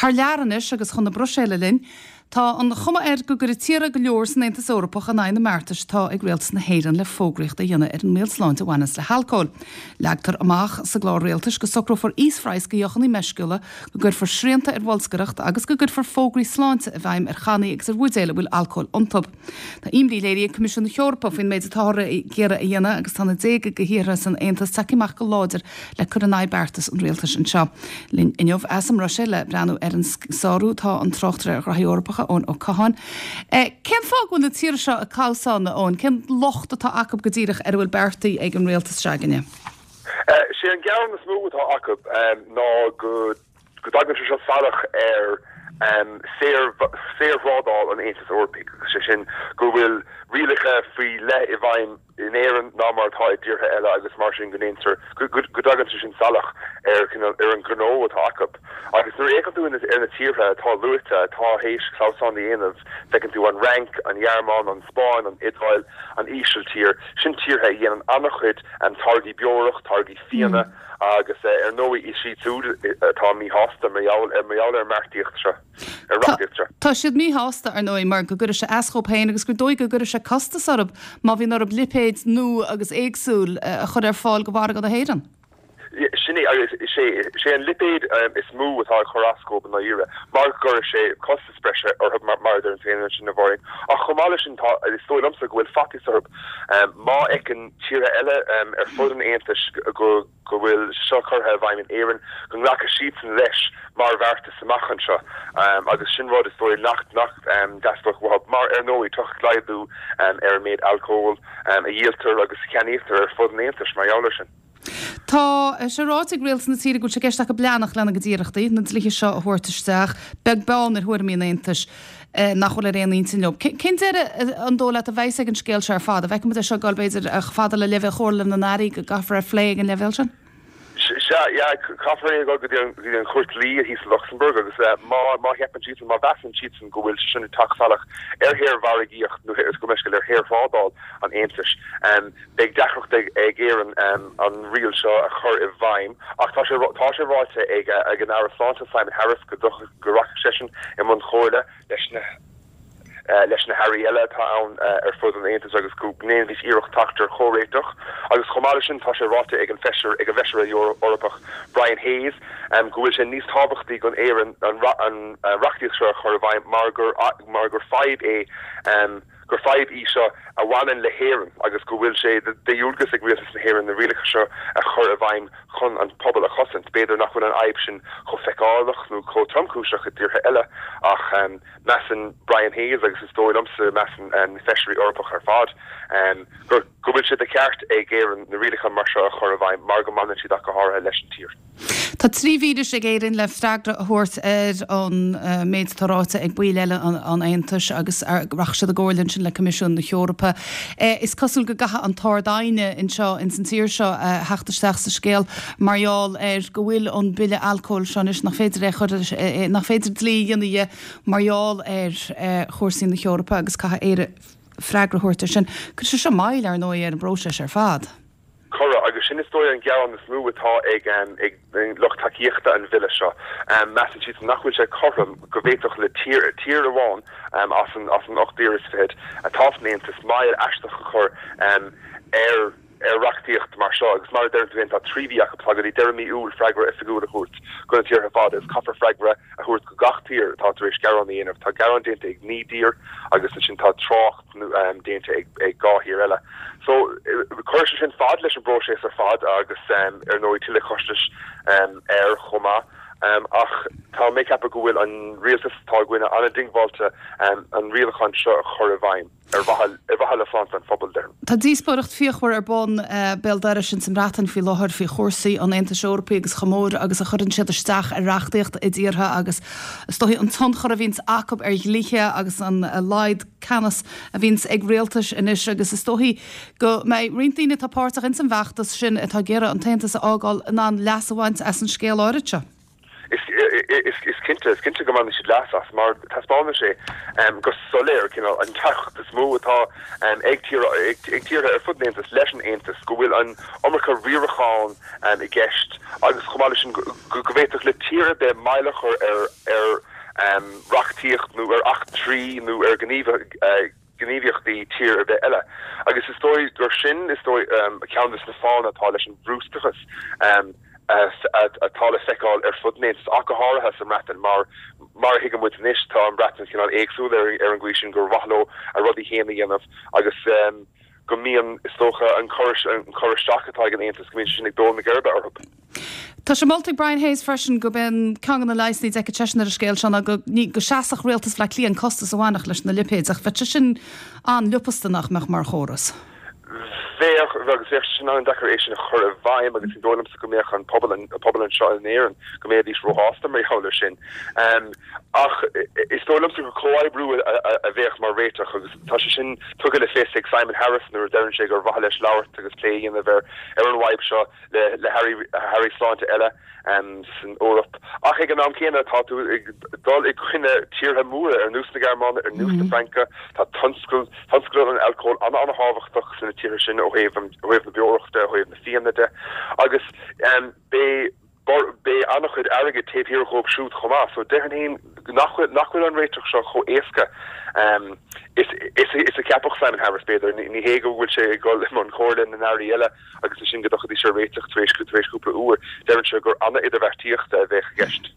Thar lear anois agus chun na Bruiséile linn. Tá an chuma air go gcuirfidh tíortha go leor san Aontas Eorpach in aghaidh na mbeartais atá ag rialtas na hÉireann le fógraíocht a dhéanamh ar an mbaol sláinte a bhaineanns le halcól. Leagtar amach sa gclár rialtais go socrófar íosphraghas do dheochanna meisciúla, go gcuirfear srianta ar bholscaireacht agus go gcuirfear fógraí sláinte i bhfeidhm ar channaí agus ar bhuidéil a bhfuil alcól iontu. Tá imní léirithe ag Coimisiún na hEorpa faoin méid atáthar ag iarraidh a dhéanamh agus tá na déaga de thíortha san Aontas tagtha amach go láidir le cur in aghaidh beartas an rialtais anseo. Linn inniu as an mBruiséil le breathnú ar an sárú tá an tráchtaire ar ghraithí Eorpacha, Eoin Ó Catháin. Cén fáth go bhfuil na tíortha seo ag clamhsán, a Eoin? Cén locht atá acu go díreach ar a bhfuil beartaithe ag an rialtas s'againne? Sé an gearán is mó atá acu ná go go dtagann sé seo salach ar saorthrádáil an Aontais Eorpaigh, agus sé sin go bhfuil rialacha faoi leith i bhfeidhm in Éirinn ná mar atá i dtíortha eile agus mar sin go ndéantar, go dtagann sé sin salach ar ar an ghnó atá acu. Agus nuair a fhéachann tú ar na tíortha atá luaite atá théis clamhsán a dhéanamh, feiceann tú an Fhrainc, an Ghearmáin, an Spáinn, an Iodáil, an Ísiltír, sin tíortha a dhéanann an-chuid táirgí beorach, táirgí fíona, Agus ar ndóigh is iad siúd atá míshásta mar gheall ar mar gheall ar an mbeartaíocht seo, ar reachtaíocht seo. Tá siad míshásta, ar ndóigh, mar go gcuirfidh sé as dhóibh féin agus gur dóigh go gcuirfidh sé costas orthu má bhíonn orthu lipéid nua agus éagsúil a chur ar fáil do mhargadh na hÉireann. Sin é, agus is é, is é an lipéad is mó atá ag cur as dhóibh i ndáiríre, mar go gcuirfidh sé costas breise orthu mar a deireann tú féin ansin, a Mháirín. Ach chomh maith leis sin, tá, is dóigh liomsa go bhfuil faitíos orthu má fheiceann tíortha eile ar fud an Aontais go bhfuil seo curtha i bhfeidhm in Éirinn, go nglacfaidh siadsan leis mar bheartas amach anseo agus sin rud is dóigh nach dteastódh uathu mar, ar ndóigh, tiocfaidh laghdú ar an méid alcóil a dhíoltar agus a cheannaítear ar fud an Aontais mar gheall air sin. Tá sé ráite ag rialtas na tíre go bhfuil sé i gceist acu leanacht lena gcuid iarrachtaí na dlíthe seo a thabhairt isteach, beag beann ar thuairimí an Aontais nach bhfuil ar aon intinn leo. Cén deireadh an dóigh leat a bheas ag an scéal seo ar fad? An bhfeicfidh muid é seo ag dul, b'fhéidir, chomh fada le leibhéal Chomhairle na nAirí, go gcaithfear é a phlé ag an leibhéal sin? Sea, yeah, caithfear é a dhul go dtí an Chúirt Dlí thíos i Lucsamburg agus má má cheapann siadsan, má mheasann siadsan go bhfuil sé sin ag teacht salach ar shaormhargaíocht nó gabh mo leithscéal ar shaorthrádáil an Aontais, Beidh deacracht ag Éirinn an riail seo a chur i bhfeidhm ach tá sé tá sé ráite ag ag an Aire Sláinte Simon Harris go go rachaidh seisean i mbun comhairle leis na leis na hairí eile atá ann ar fud an Aontais agus go ndéanfaidís iarracht teacht ar chomhréiteach. Agus chomh maith leis sin tá sé ráite ag an Feisire ag an bhFeisire Eorpach Brian Hayes go bhfuil sé níos tábhachtaí don Éirinn an an reachtaíocht seo a chur i bhfeidhm mar gur mar gur fadhb é gur fadhb í seo a bhaineann le hÉirinn agus go bhfuil sé de dhualgas ag Rialtas na hÉireann na rialacha seo a chur i bhfeidhm chun an pobal a chosaint. B'fhéidir nach bhfuil an fhadhb sin chomh feiceálach nó chomh tromchúiseach i dtíortha eile ach measann Brian Hayes agus is dóigh liomsa measann na Feisirí Eorpacha ar fad go bhfuil sé de cheart ag Éirinn na rialacha mar seo a chur i bhfeidhm mar go mbaineann siad ach go háirithe leis an tír. Tá 3 mhí anois ag Éirinn le freagra a thabhairt ar an méid atá ráite ag baill eile an Aontais agus rachaidh siad i gcomhairle ansin le Coimisiún na hEorpa. Is cosúil go gcaithfidh an tArd-Aighne anseo ins an tír seo theacht isteach sa scéal mar gheall ar go bhfuil an bille alcóil seo anois nach féidir é a chur, nach féidir dlí a dhéanamh dhe mar gheall ar chúrsaí na hEorpa agus caithfidh Éire freagra a thabhairt ar sin. Cuirfidh sé seo moill, ar ndóigh, ar an bpróiseas ar fad. Cuirfidh, agus sin is dóigh an gearán is mó atá ag lucht tacaíochta an bhille seo. Measann siadsan nach bhfuil sé cothrom go bhféadfadh le tír, tír amháin as an as an 8 dtír is fichead atá san Aontas, moill aisteach a chur ar ar reachtaíocht mar seo. Agus mar a deireann tú féin, tá 3 mhí acu, tá go dtí deireadh mí Iúil freagra oifigiúil a thabhairt go na tíortha ar fad agus caithfear freagra a thabhairt go gach tír atá tar éis gearán a dhéanamh. Tá gearán déanta ag 9 dtír agus ansin tá trácht déanta ag 2 thír eile. So, cuirfidh sé sin fad leis an bpróiseas ar fad agus ar ndóigh tuilleadh costais air chomh maith. Ach tá mé ag ceapadh go bhfuil an rialtas atá againne an-diongbháilte an rialachán seo a chur i bhfeidhm ar mhaithe le sláinte an phobail, déarfainn. Tá díospóireacht fíochmhar ar bun béal dorais ins an mBreatain faoi láthair faoi chúrsaí an Aontais Eorpaigh agus chomh mór agus a chuireann siad isteach ar reachtaíocht i dtíortha agus is dóichí an tionchar a bhíonns acu ar dhlíthe agus an laghad ceannas a bhíonns ag rialtais anois agus is dóichí go mbeidh roinnt daoine atá páirteach ins an bhfeachtas sin atá ag iarraidh an tAontas a fhágáil in ann leas a bhaint as an scéal áirid seo. Is cinnte, is cinnte go mbainfidh siad leas as mar taispeánann sé go soiléir cineál an deacracht is mó atá ag tíortha ar fud an Aontais leis an Aontas, go bhfuil an iomarca riaracháin i gceist agus chomh maith leis sin go bhféadfadh le tír ar bith moill a chur ar. reachtaíocht nó ar eachtraí nó ar ghníomhaíochtaí tír ar bith eile. Agus is dóigh gur sin, is dóigh, ceann de na fáthanna atá leis an bhrústocas atá le feiceáil ar fud an Aontais, ach go háirithe sa mBreatain, mar, mar a thuigeann muid anois, tá an Bhreatain cineál éagsúil ar an gcaoi sin gur mhaith leo a rudaí féin a dhéanamh agus go mbíonn, is dócha, an cur isteach atá ag an Aontas, go mbíonn sé sin ag dó na geirbe orthu. Tá sé molta ag Brian Hayes freisin gurb é an ceann de na leigheasanna a d'fheicfeadh seisean ar an scéal seo ná go go seasfadh Rialtas Bhaile Átha Cliath an costas a bhainfeadh leis na lipéid ach bheadh sé sin an-liopasta nach mbeadh mar chóras. Bheadh, agus bheadh sé sin an-deacair é sin a chur i bhfeidhm agus ní dóigh liomsa go mbeadh an pobal, an pobal anseo in Éirinn, go mbeidís róshásta mar gheall air sin. Ach is dóigh liomsa gur comhoibriú a bheadh mar réiteach agus tá sé sin tugtha le fios ag Simon Harris nuair a deireann sé gur mhaith leis labhairt agus plé a dhéanamh ar ar an bhfadhb seo le hairí sláinte eile san Eoraip. Ach ag an am céanna, tá tú ag dul i gcoinne tíortha móra ar nós na Gearmáine, ar nós na Fraince. Tá tionscal, tionscal an alcóil an-an-thábhachtach sna tíortha sin ó thaobh ó thaobh na beorachta, ó thaobh na fíona de. Agus beidh beidh an-chuid airgid taobh thiar dhóibh siúd chomh maith. So déarfainn féin nach bhfuil nach bhfuil an réiteach seo chomh éasca is is a cheapfadh Simon Harris, b'fhéidir. Ní hé go bhfuil sé ag dul i mbun comhairle na n-airí eile. agus ansin go dtiocfaidís ar réiteach tar éis tar éis cúpla uair. Deireann sé gur an-idirbheartaíochta a bheadh i gceist.